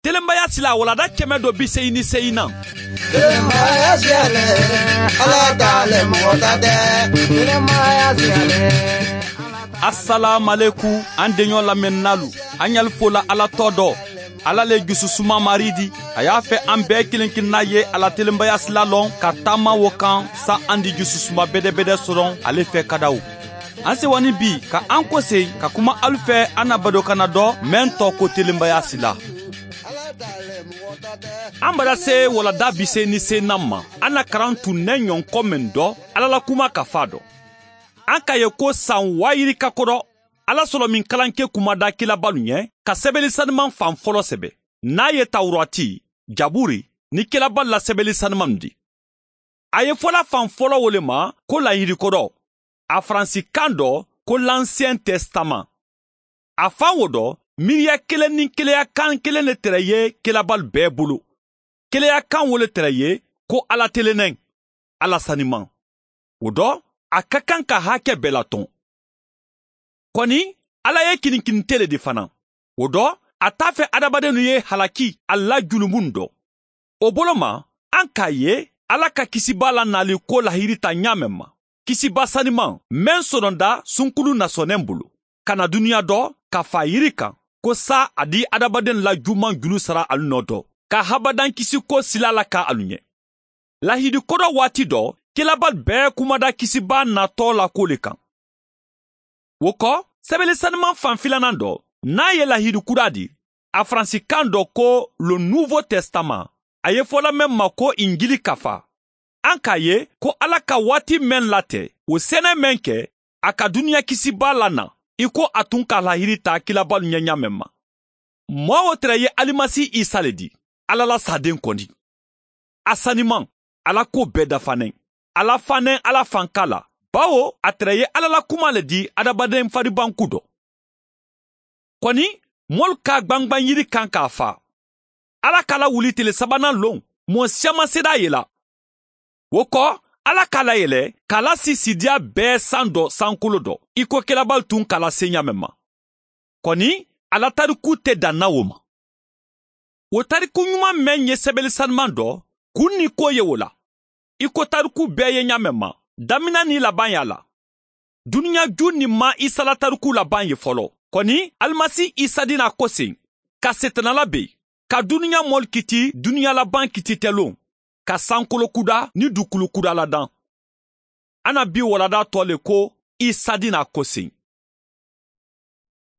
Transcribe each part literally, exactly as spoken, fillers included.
Telenbaya sila walanda kɛmɛ do bi seegin ni seegin nan. Telenbaya sila le, Ala ta le, mɔgɔ ta tɛ. Telenbaya sila le. Asalaamaleku, an deɲɔ lamɛnninaalu, an ɲali fola Ala tɔɔ dɔ. Ala le jususuma Mari di. A y'a fɛ an bɛɛ kelen kelenna ye a la telenbaya sila lɔn ka taama wo kan, sa an di jususuma bedebede sɔrɔ ale fɛ kadaw. An sewa ni bi ka an kosegi ka kuma alu fɛ an na badokanna dɔ, meŋ tɔɔ ko telenbaya sila. An bada se walanda bi seegin ni seegin nan ma, an na karan tun ne ɲɔnkɔ meŋ dɔ, Ala la kuma ka fɔ a dɔ. An ka ye ko san waa yirika kodɔ, Ala sɔlɔmi kalanke kumada kilabalu ɲɛ ka sebeli saniman fan fɔlɔ sɛbɛ, n'a ye Tawurati, Jaburi, ni kilabalu la sebeli sanimanw di. A ye fɔla fan fɔlɔ wo le ma ko lahidi kodɔ, a faransi kan dɔ ko lansiyɛn tɛsitaman. A fan wo dɔ, miiriya kelen ni keleya kan kelen le tere ye kilabalu bɛɛ bolo. Keleya kan wo le tere ye ko Ala telennen, Ala saniman. Wo dɔ, a ka kan ka hakɛ bɛɛ latɔn. Kɔni, Ala ye kinikinite le di fana. Wo dɔ, a t'a fɛ adamadennu ye halaki a la julumunw dɔ. O bolo ma, an k'a ye Ala ka kisibaa la nali ko lahidi ta ɲaamen ma, kisibaa saniman meŋ sononda sunkulu nasɔnnen bolo, ka na duniya dɔ ka fa yiri kan, ko sa a di adamadenw la juman julu sara alu nɔ dɔ, ka habadankisiko sila la ka alu ɲɛ. Lahidi kodɔ waati dɔ, kilabalu bɛɛ kumada kisibaa natɔ la ko le kan. Wo kɔ, sebeli saniman fan filanan dɔ, n'a ye lahidi kura di, a faransi kan dɔ ko le nouveau testament, a ye fɔla meŋ ma ko injili kafa. An k'a ye ko Ala ka waati meŋ late, wo sɛnɛ meŋ kɛ a ka duniya kisibaa la na, i ko a tun ka lahidi ta kilabalu ɲɛ ɲaamen ma. Moo wo tere ye alimasi isa le di, Ala la saaden kɔni. A saniman, Ala ko bɛɛ dafanen. Ala fanen Ala fanka la, bawo a tere ye Ala la kuma le di adamaden faribanku dɔ. Kɔni, moolu ka gbangban yiri kan k'a fa. Ala ka la wuli tile sabanan lon, moo siyaman seede a ye la. Wo kɔ, Ala k'a layɛlɛ k'a lasi sidiya bɛɛ san dɔ sankolo dɔ, i ko kilabalu tun ka lase ɲaamen ma. Kɔni, a la tariku tɛ dan na wo ma. Wo tariku ɲuman meŋ ye sebeli saniman dɔ, kun ni ko ye wo la, i ko tariku bɛɛ ye ɲaamen ma, damina ni laban y'a la. Duniɲa ju ni ma isa la tariku laban ye fɔlɔ. Kɔni, alimasi isa di na koseŋ, ka setanala ben, ka duniɲa moolu kiti duniɲa laban kititelon, ka sankolo kuda ni dukulu kuda ladaŋ. An na bii walanda tɔ le ko isa di na koseŋ.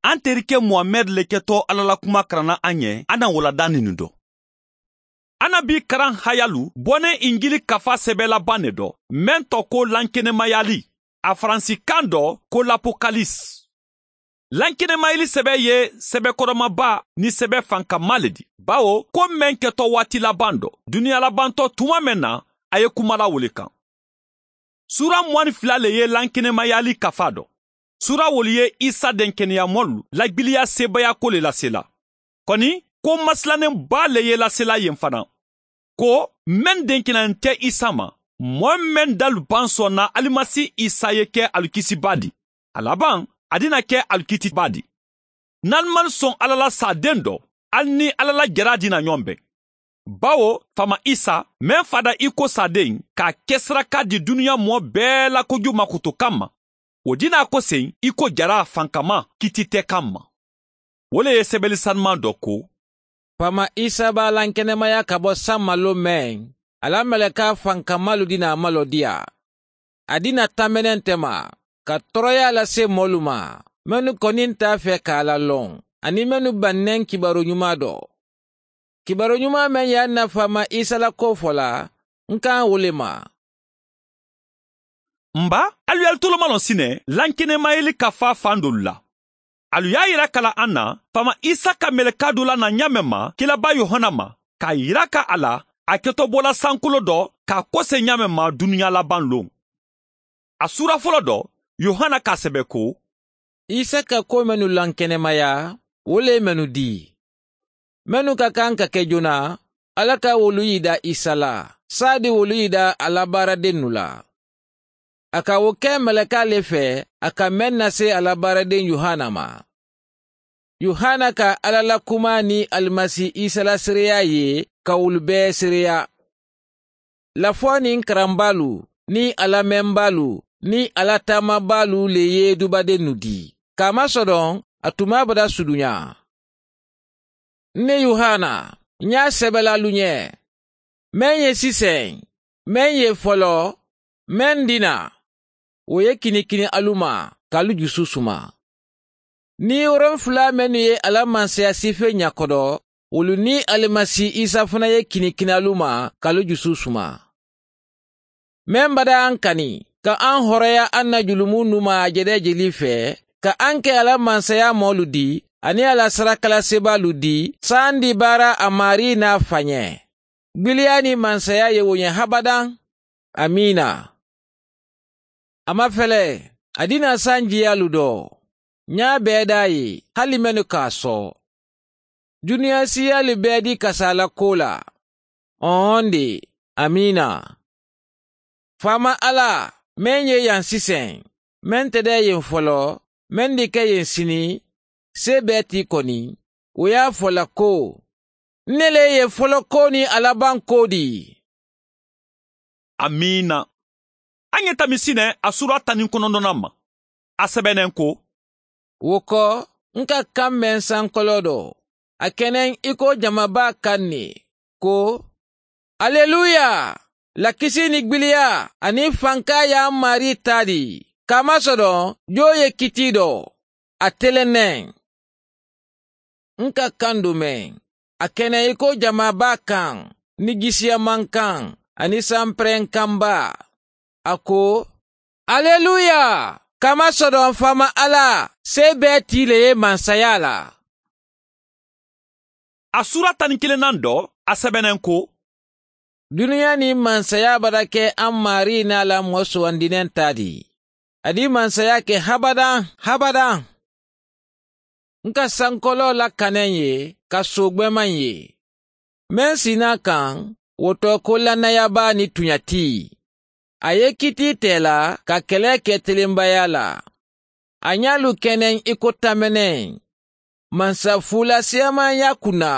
An terike muhamɛdi le ketɔ ala la kuma karanna an ye an na walanda ninnu dɔn. An na bii karan hayalu bɔnnen injili kafa sɛbɛ laban ne dɔ, meŋ tɔ ko lankenemayali, a faransi kan dɔ ko lapokalisi. Lankenemayeli sɛbɛ ye sɛbɛ kɔrɔmaba ni sɛbɛ fankama le di, bawo ko meŋ kɛtɔ waati laban dɔ, duniɲa labantɔ tuma meŋ na, a ye kuma la wo le kan. Suura mugan ni fila le ye lankenemayali kafa dɔ. Suura wolu ye isa denkeneyamɔlu lagbiliya seebayako le lasela. Kɔni, ko masilanenba le ye lasela yen fana, ko meŋ denkenanin tɛ isa ma, moo meŋ dalu baŋ sɔnna alimasi isa ye ke alu kisibaa di, a laban, a dina ke alu kitibaa di. N'alu man sɔn ala la saaden dɔ, alu ni ala la jaraa dina ɲɔgɔn bɛn. Bawo faama isa, meŋ fada i ko saaden, k'a kesiraka di duniɲa moo bɛɛ la kojugu makotokan ma, wo dina koseŋ i ko jaraa fankama kititɛkan ma. Wo le ye sɛbɛli sanuman dɔ ko, faama isa b'a lankenemaya ka bo san malo meŋ, a la meleka fankamalu dina malo di a. A dina tambeneŋ tema, ka toroyaa lase moolu ma, mennu koninta a fɛ ka a la loŋ, aniŋ mennu baŋ neŋ kibaaru ɲumaa do. Kibaaru ɲumaa meŋ ye a nafa ma isa la koo fola, n ka wo le ma. N ba, alu ye alu tolomalon sine lankenemayeli ka fa fan dolu la. Alu ye a yira kala an na, faama isa ka meleka dula na ɲaameŋ ma kilaba yohana ma, k'a yira ka a la a ketobola sankolo dɔ k'a kose ɲaameŋ ma duniɲa laban loŋ. A suura folo dɔ, yohana k'a sebe ko, isa ka ko mennu lankenemaya, wo le mennu di mennu ka kan ka ke joona, ala ka wolu yida isa la, saadi wolu yida a la baaradennu la. A ka wo ke meleka le fe a ka meŋ na se a la baaraden yohana ma. Yohana ka alla la kumaa niŋ alimasi isa la seereyaa ye ka wolu bee seereyaa. Lafoo niŋ karambaalu niŋ a lamembaalu niŋ a la taamabaalu le ye dubadennu dii ka a masodoŋ a tumaa bada suduñaa. N ne yohana, ñaa sebelaalu ñe, meŋ ye siseŋ, meŋ ye foloo, meŋ dina, wo ye kinikini alu ma ka alu jusu suma. Niŋ woronfulaa mennu ye a la mansaya siifee ña kodo, wolu niŋ alimasi isa fanaŋ ye kinikini alu ma ka alu jusu suma. Meŋ bada aŋ kani ka aŋ horoya aŋ na julumu numaa a jede jelii fee, ka aŋ ke a la mansayaa moolu dii aniŋ a la sarakalaseebaalu dii saandi baara a maarii naa fañee. Gbiliyaa niŋ mansayaa ye wo ñe habadaŋ. Amiina. A ma fele, a dina sanjiyaalu doo, ñaa bee daa ye hali mennu ka a soo. Duniyaa siiyaalu bee dii kasaa la koo la. Oon de. Amiina. Faama alla, meŋ ye yaŋ siseŋ, meŋ te dee yeŋ foloo, meŋ di ke yeŋ sini, see bee ti koni, wo ye a fo la ko, n ne le ye folokoo niŋ a labankoo dii. Amiina. A ñe tamisi ne a suura taniŋ konondonaŋ ma. A sebeneŋ ko, wo ko, n ka kaŋ meŋ sankoloo do, a keneŋ i ko jamabaa kaŋ ne, ko, aleluya! Lakisi ni gbiliyaa aniŋ fankaa ye a maarii taadi. Ka a masodoŋ joo ye kitii do, a teleneŋ. N ka kaŋ dumeŋ, a keneŋ i ko jamaa baa kaŋ, ni gisiyamankaŋ aniŋ sanperenkaŋ baa. A ko, aleluya! Ka a masodoŋ faama alla, see bee tii le ye mansayaa la. A suura taniŋ kilinnaŋ do, a sebeneŋ ko, duniyaa niŋ mansayaa bata ke a maarii naa la moo suwandineŋ taa di. A di mansayaa ke habadaŋ habadaŋ. N ka sankoloo la kaneŋ ye ka soogbeemaŋ ye, meŋ si naa kaŋ, wo to ko lannaya baa ni tuña tii. A ye kitii tee la ka kelee ke telembayaa la. A ñaalu keneŋ i ko tameneŋ. Mansa fuula siyamaŋ ye a kunna.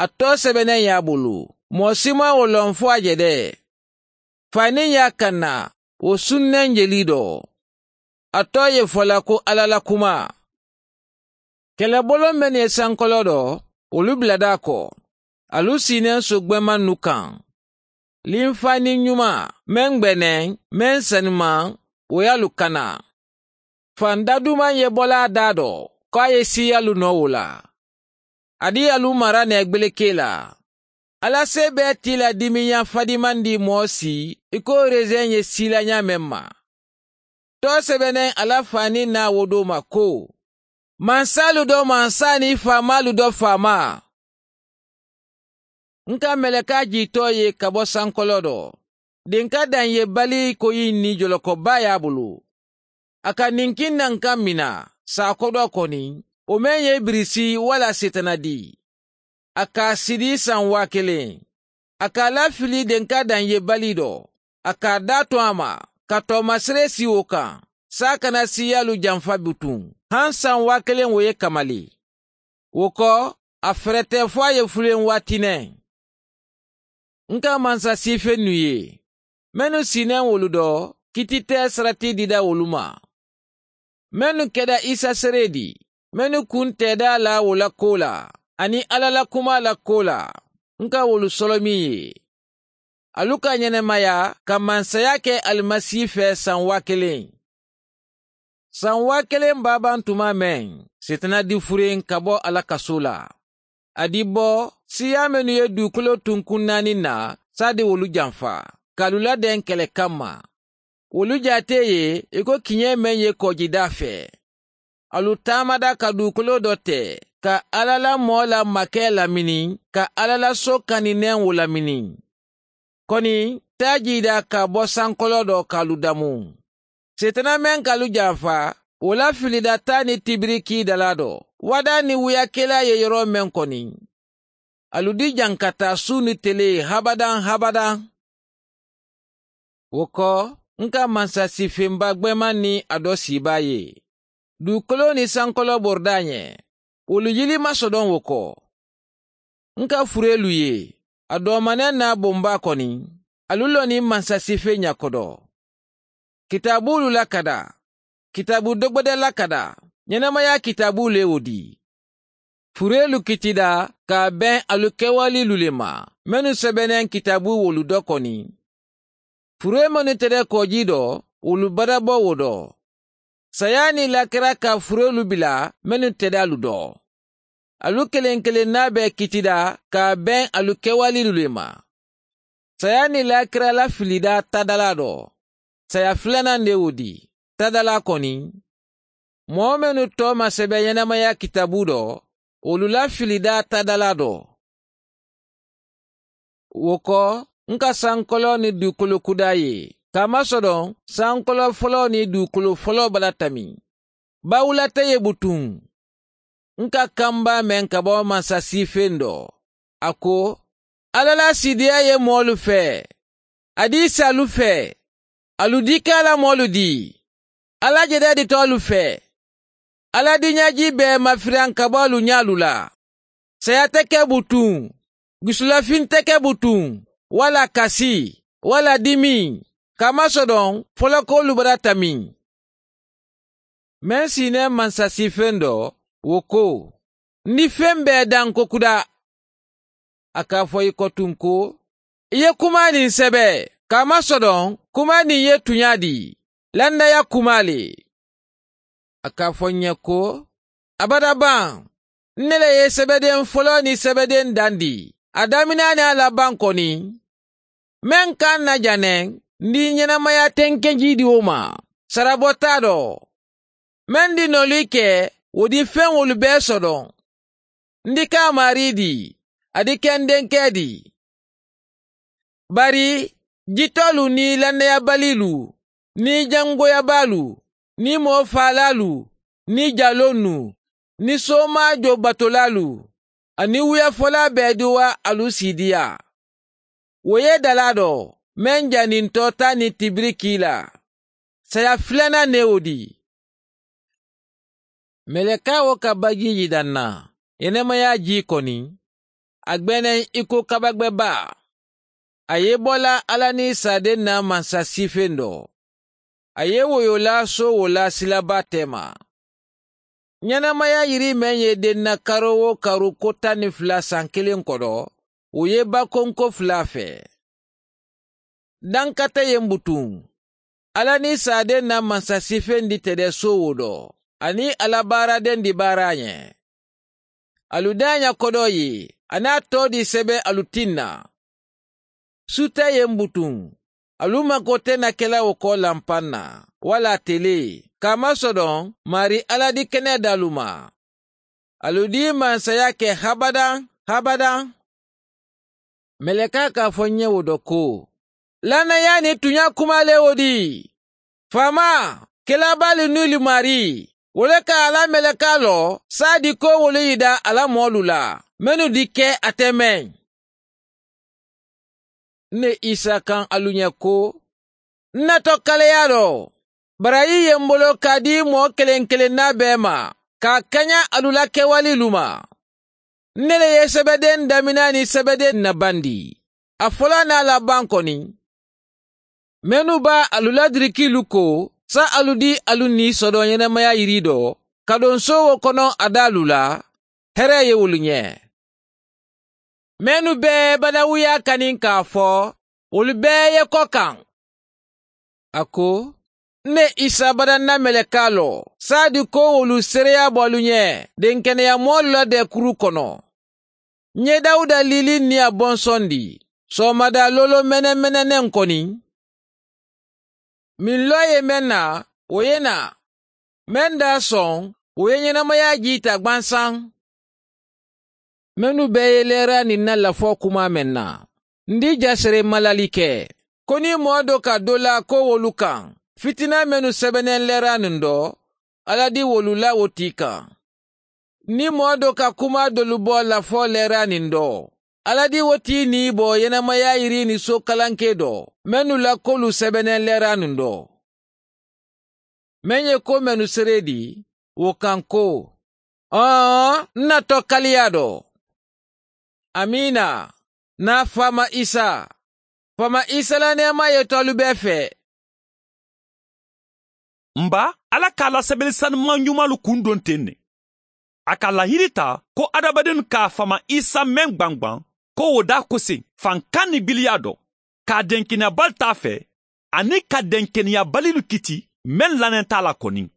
A too sebeneŋ ye a bulu, moo si maŋ wo loŋ fo a je de. Faniŋ ye a kanna, wo sunneŋ jelii do. A too ye fo la ko alla la kumaa. Keleboloŋ mennu ye sankoloo do, wolu bila daa ko, alu siineŋ soogbemannu kaŋ. Linfaniŋ ñumaa meŋ gbeneŋ, meŋ sanimaŋ, wo ye alu kana. Faŋ dadumaŋ ye bo la a daa do, ko a ye siiyaalu noo wo la. A di alu mara neegbelekee la. Alla see bee tii la dimiña fadimandi moo si, i ko reseŋ ye sii la ñaameŋ ma. Too sebeneŋ a la faniŋ naa wo doo ma ko, mansaalu do mansaa niŋ faamaalu do faamaa. N ka melekaa jiitoo ye ka bo sankoloo do. Dinka daŋ ye balii koyiŋ niŋ joloko baa ye a bulu. A ka ninkiŋ naŋ kaŋ mina, saa kodoo koni, wo meŋ ye i birisi walla seetana dii. A ka a sidi saŋ waa keleŋ. A ka a lafili denka daŋ ye balii do. A ka a daa to a ma, ka toomasiree sii wo kaŋ, saa kana siiyaalu jamfa butuŋ, haŋ saŋ waa keleŋ wo ye kamali. Wo ko, a ferete fo a ye fuleŋ waati ne. N ka mansa siifennu ye, mennu si neŋ wolu do, kititee sarati dida wolu ma. Mennu keda isa seree di, mennu kunteeda la wo la koo la, aniŋ alla la kumaa la koo la, n ka wolu solomiŋ ye. Alu ka ñenemaya ka mansaya ke alimasi fee saŋ waa keleŋ. Saŋ waa keleŋ baabaŋ tuma meŋ, seetana di furiŋ ka bo a la kasoo la. A di bo siiyaa mennu ye duukoloo tunkuŋ naani na, saadi wolu jamfa ka alu ladeŋ kele kamma. Wolu jaatee ye i ko kiñee meŋ ye koojidaa fee. Alu taamada ka duukoloo do te, ka alla la moo la makee lamini, ka alla la soo kanineŋ wo lamini. Koni, taa jiidaa ka bo sankoloo do ka alu damu. Seetana meŋ ka alu jamfa, wo la filida taa ni tibirikii dalaa do, wadaa ni wuyakelaa ye yoroo meŋ koni. Alu di jaŋ ka taa suu ni telee habadaŋ habadaŋ. Wo ko, n ka mansa siifenba gbeemaŋ niŋ a do siibaa ye, duukoloo niŋ sankoloo boridaa ñe. wolu yili maŋ sodoŋ wo ko. N ka fureelu ye a doomaneŋ naa bombaa koni. Alu loni mansasiifee ña kodo kitaabuulu la kada kitaabu dogbede la kada. Ñenemayaa kitaabuulu ye wo dii fureelu kitidaa ka a beŋ alu kewaliilu le ma mennu sebeneŋ kitaabu wolu do koni. Furee mennu tede koojii do wolu badabo wo do. Sayaa niŋ laakira ka fureelu bila mennu tede alu do. Alu keleŋ keleŋ naa be kitidaa ka a beŋ alu kewaliilu le ma. Sayaa niŋ laakira la filidaa taadalaa do saya filanaŋ de wo dii taadalaa koni. Moo mennu too ma sebe ñenemayaa kitaabu do wolu la filidaa taadalaa do. Wo ko n ka sankoloo niŋ duukoloo kudaa ye ka a masodoŋ sankoloo foloo niŋ duukoloo foloo bala tamiŋ. Bawula te ye butuŋ n ka kambaa meŋ ka bo mansasiifee n do. A ko, alla la siidiyaa ye moolu fee. A dii si alu fee. Alu dii ke alla moolu dii. Alla jedeeditoolu fee. Alla diiñaajii bee mafiriyaŋ ka bo alu ñaalu la. Saya te ke butuŋ. Gusulafiŋ te ke butuŋ walla kasi walla dimiŋ ka a masodoŋ folokoolu bata tamiŋ. Meŋ siinee mansasiifeŋ do wo ko, n di feŋ bee daŋ ko kuda. A ka a fo i ko tuŋ ko, i ye kumaa niŋ sebe ka a masodoŋ kumaa niŋ ye tuñaa dii lannaya kumaa le. A ka a fo n ye ko, abada baŋ n ne le ye sebedeŋ foloo niŋ sebedeŋ dandi a daminaa niŋ a labaŋ koni. Meŋ ka n na janeŋ n di ñenamaya tenkejiidiwo ma sarabo taa do. Meŋ di noolu i ke wo di feŋ wolu bee sodoŋ. N di ka a maarii di a di ke n denkee di. Bari jitoolu niŋ lannayabaliilu niŋ jangoyabaalu niŋ moo faalaalu niŋ jaloonnu niŋ soomaajo batolaalu aniŋ wuyafolaa bee di wo alu siidiyaa. Wo ye dalaa do meŋ janintoo taa niŋ tibiri kii la. Saya filanaŋ ne wo di. Melekaa wo ka bajiiji daŋ na yenemaya jii koni. A gbeneŋ i ko kabagbe baa. A ye bo la alla niŋ saadeŋ na mansa siifeŋ do. A ye woyolaa soo wo la silabaa teema. Ñenamaya yiri meŋ ye denna karo wo karu ko taŋ niŋ fula saŋ kiliŋ kono wo ye bakonko fula fee. Dankate ye mbutuŋ alla niŋ saadeŋ na mansa siifeŋ di tede soo wo do aniŋ a la baaradeŋ di baara a ñe. Alu daaña kodoo ye a niŋ a too di sebe alu tinna. Sute ye mbutuŋ alu makoo te na ke la wo ko lampaŋ na walla telee ka a masodoŋ maarii alla di kenedaalu ma. Alu dii mansaya ke habadaŋ habadaŋ. Melekaa ka a fo n ye wo do ko, lannayaa niŋ tuñaa kumaa le wo di. Faamaa kelaabaali nuyili maarii wo le ka a la melekaa lo saadi ko wolu yida a la moolu la mennu di ke a te meŋ. N ne isa kaŋ alu ñe ko n na to kaleyaa lo barayi ye m bolo ka a dii moo keleŋ keleŋ naa bee ma ka a kaña alu la kewaliilu ma. N ne le ye sebedeŋ daminaa niŋ sebedeŋ nabandi a folaa niŋ a la baŋ koni. Mennu be alu la dirikiilu ko sa alu dii alu nii sodoŋ yenemaya yirii do ka doŋ soowo kono a daalu la. Heree ye wolu ñe mennu bee badawuyaa kaniŋ ka a fo wolu bee ye ko kaŋ. A ko n ne isa badanna melekaa lo saadi ko wolu seereyaa bo alu ñe denkeneya moolu la deekuru kono. N ye dawuda liiliŋ niŋ a bonsondi soomadaa loolo menemeneneŋ koni. Miŋ loo ye meŋ na wo ye naa meŋ daa soŋ wo ye ñenemayaa jiita gbansaŋ. Mennu bee ye leeraa niŋ na lafoo kumaa meŋ na n di jasere malali ke ko niŋ moo do ka dolaa ko wolu kaŋ fitinaa mennu sebeneŋ leeraa niŋ do alla di wolu la wo tii kaŋ. Niŋ moo do ka kumaa dolu bo lafoo leeraa niŋ do alla di wo tii niŋ i bo yenemayaa yirii niŋ sookalankee do mennu la koolu sebeneŋ leeraa niŋ do. Meŋ ye ko mennu sereedi wo kaŋ ko Ɔɔ, n na tɔkaliyaa dɔ. Amiina. Naa faama isa. Faama isa la neemaa ye to alu bee fee. M ba, alla ka a la sebeli sanumaŋ ñumaalu kundoŋ teŋ ne. A ka a lahiri taa ko hadamadennu ka a faama isa meŋ gbangbaŋ, ko wo daa koseŋ faŋ kaŋ ni biliyaa do, ka a denkeneya bali taa fee, aniŋ ka denkeneya balilu kiti meŋ lanenta a la koniŋ.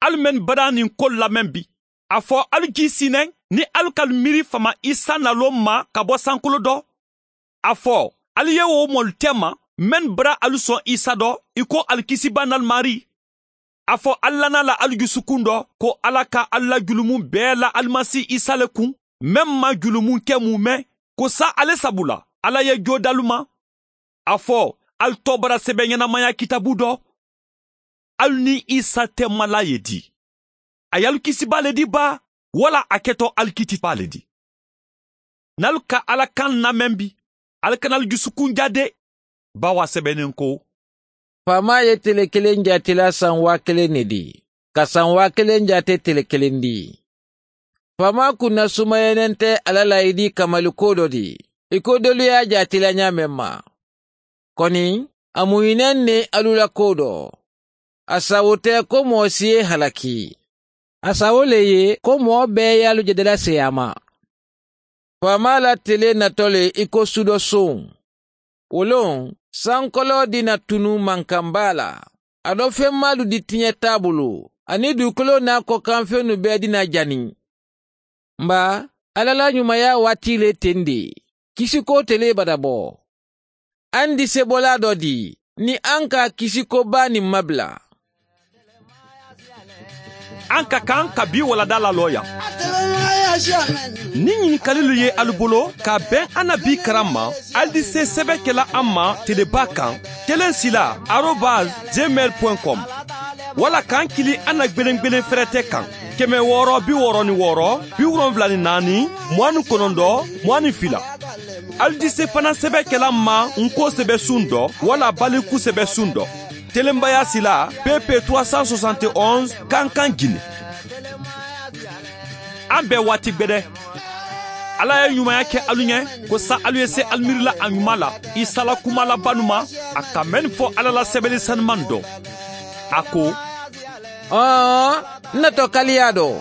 Alu mennu badaa niŋ kolu lameŋ bi, a fo alu jii siineŋ niŋ alu ka alu miiri faama isa naloo ma ka bo sankulo do. A fo alu ye wo moolu tema mennu badaa alu soŋ isa do i ko alu kisibaa nalmaari. A fo alu lana la alu jusukuŋ do ko alla ka alu la julumu bee la alimasi isa le kuŋ, meŋ maŋ julumu ke muumeŋ, ko saayiŋ ale sabu la alla ye joo dalu ma. A fo alu toobara sebe ñanamaya kitaabu do. Alu niŋ isa te malaa ye dii? A ye alu kisibaa le dii baa, walla a keto alu kitibaa le dii? Niŋ alu ka alla kaŋ nameŋ bi, alu kana alu jusukuŋ jaa de. Baawo a sebeneŋ ko, faamaa ye tele keleŋ jaatila saŋ waa keleŋ ne dii, ka saŋ waa keleŋ jaate tele keleŋ dii. Faamaa kunnasumayanente alla la i dii kamali koo do dii, i ko doolu ye a jaatila ñaameŋ ma. Koni a mu i neŋ ne alu la koo do. A sawo te ko moo si ye halaki. A sawo le ye ko moo bee ye alu je dala seyaama. Faamaa la tele nato le i ko sudo soŋ. Wo loŋ sankoloo dina tunu mankambaa la. A do femmaalu di tiñe taabulu, aniŋ duukoloo naa kokanfennu bee dina jani. M ba, alla la ñumaya waati le teŋ de. Kisikoo te le bata bo. Aŋ di sebolaa do dii niŋ aŋ ka a kisikoo baa niŋ mabila. Aŋ ka kaŋ ka bii wala daalaaloo yaŋ. Niŋ ñinkalilu ye alu bolo ka a beŋ a na bii karaŋ ma, alu di see sebe ke la a ma telebaa kaŋ, keleŋ sila arobas gmail point com. Walla kaŋ kili a na gbelengbelen ferete kaŋ, keme wooro bi wooro ni wooro bi wolonwula ni naani, muwaani konondo, muwaani fila. Alu di se fanaŋ sebe kela n ma n ko sebe suŋ do walla baliku sebe suŋ do. Telenbaya sila, pepe trois cent soixante et onze, kankaŋ jine. An be waati gbede. Alla ye ñumaya ke alu ñe ko sa alu ye se alu miiri la a ñuma la, isa la kuma la banu ma, a ka mennu fo alla la sebeli sanumaŋ do. A ko, ɔɔ, n na to kaliya do.